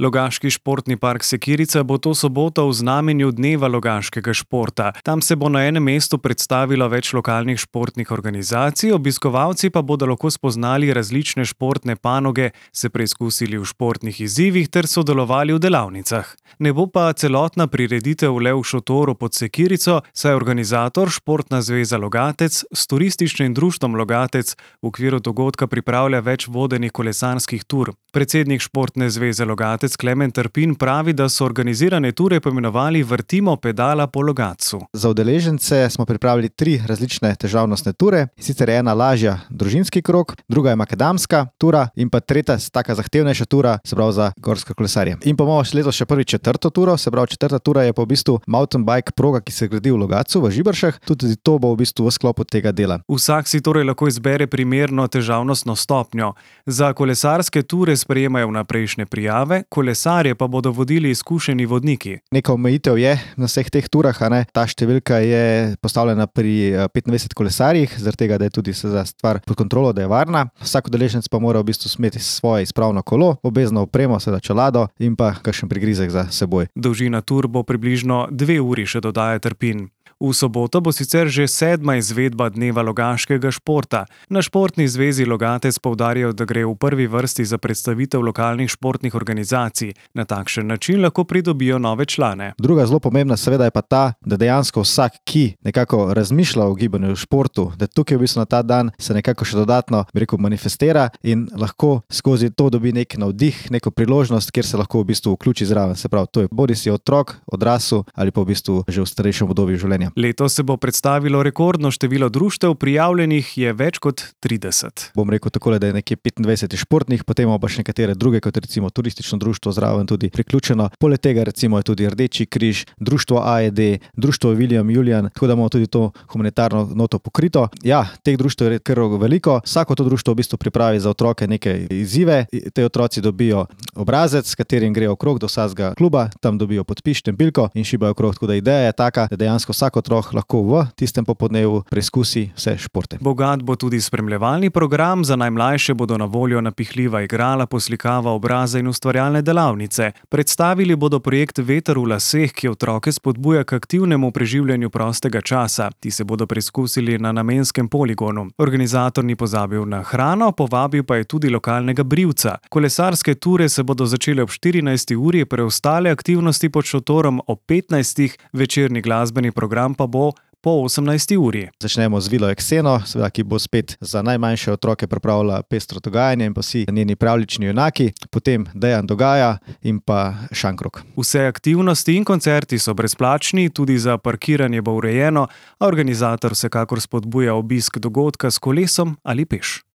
Logaški športni park Sekirica bo to soboto v znamenju dneva logaškega športa. Tam se bo na enem mestu predstavilo več lokalnih športnih organizacij, obiskovalci pa bodo lahko spoznali različne športne panoge, se preizkusili v športnih izzivih ter sodelovali v delavnicah. Ne bo pa celotna prireditev le v šotoru pod Sekirico, saj organizator Športna zveza Logatec s turističnim društvom Logatec v okviru dogodka pripravlja več vodenih kolesarskih tur. Predsednik Športne zveze Logatec Klemen Trpin pravi, da so organizirane ture poimenovali Vrtimo pedala po Logatcu. Za udeležence smo pripravili 3 različne težavnostne ture, sicer je ena lažja družinski krog, druga je makadamska tura in pa tretja taka zahtevnejša tura, se pravi za gorske kolesarje. In pa imamo letos še prvi 4. turo, se pravi 4. tura je pa v bistvu mountain bike proga, ki se gradi v Logatcu, v Žiberšah, tudi to bo v bistvu v sklopu tega dela. Vsak si torej lahko izbere primerno težavnostno stopnjo. Za kolesarske ture sprejemajo vnaprejšnje prijave, kolesarje pa bodo vodili izkušeni vodniki. Neka omejitev je na vseh teh turah, ta številka je postavljena pri 25 kolesarjih, zaradi tega, da je tudi stvar pod kontrolo, da je varna. Vsak udeleženec pa mora v bistvu imeti svoje izpravno kolo, obvezno opremo, seveda čelado in pa kakšen prigrizek za seboj. Dolžina tur bo približno 2 uri, še dodaja Trpin. V soboto bo sicer že 7. izvedba dneva logaškega športa. Na Športni zvezi Logatec poudarjajo, da gre v prvi vrsti za predstavitev lokalnih športnih organizacij. Na takšen način lahko pridobijo nove člane. Druga zelo pomembna seveda je pa ta, da dejansko vsak, ki nekako razmišlja o gibanju v športu, da tukaj v bistvu na ta dan se nekako še dodatno, manifestira in lahko skozi to dobi nek navdih, neko priložnost, kjer se lahko v bistvu vključi zraven. Se pravi, to je bodisi otrok, odrasel ali pa v bistvu že v starejšem obdobju življenja. Letos se bo predstavilo rekordno število društev, prijavljenih je več kot 30. Bom rekel takole, da je nekje 25 športnih, potem imamo pa še nekatere druge, kot recimo turistično društvo zraven tudi priključeno. Poleg tega recimo je tudi Rdeči križ, društvo AED, društvo William Julian, tako da imamo tudi to humanitarno noto pokrito. Ja, teh društev je kar veliko. Vsako to društvo v bistvu pripravi za otroke neke izzive. Te otroci dobijo obrazec, s katerim grejo okrog do vsakega kluba, tam dobijo podpis, štempilko in šibajo okrog. Tako da ideja je taka, da dejansko vsak otrok lahko v tistem popodnevu preizkusi vse športe. Bogat bo tudi spremljevalni program, za najmlajše bodo na voljo napihljiva igrala, poslikava obraza in ustvarjalne delavnice. Predstavili bodo projekt Veter v laseh, ki otroke spodbuja k aktivnemu preživljanju prostega časa. Ti se bodo preizkusili na namenskem poligonu. Organizator ni pozabil na hrano, povabil pa je tudi lokalnega brivca. Kolesarske ture se bodo začele ob 14. uri, preostale aktivnosti pod šotorom ob 15. Večerni glasbeni program pa bo po 18. uri. Začnemo z Vilo Ekseno, seveda, ki bo spet za najmanjše otroke pripravila pestro dogajanje in pa vsi njeni pravljični junaki, potem Dejan Dogaja in pa Šankrok. Vse aktivnosti in koncerti so brezplačni, tudi za parkiranje bo urejeno, a organizator vsekakor spodbuja obisk dogodka s kolesom ali peš.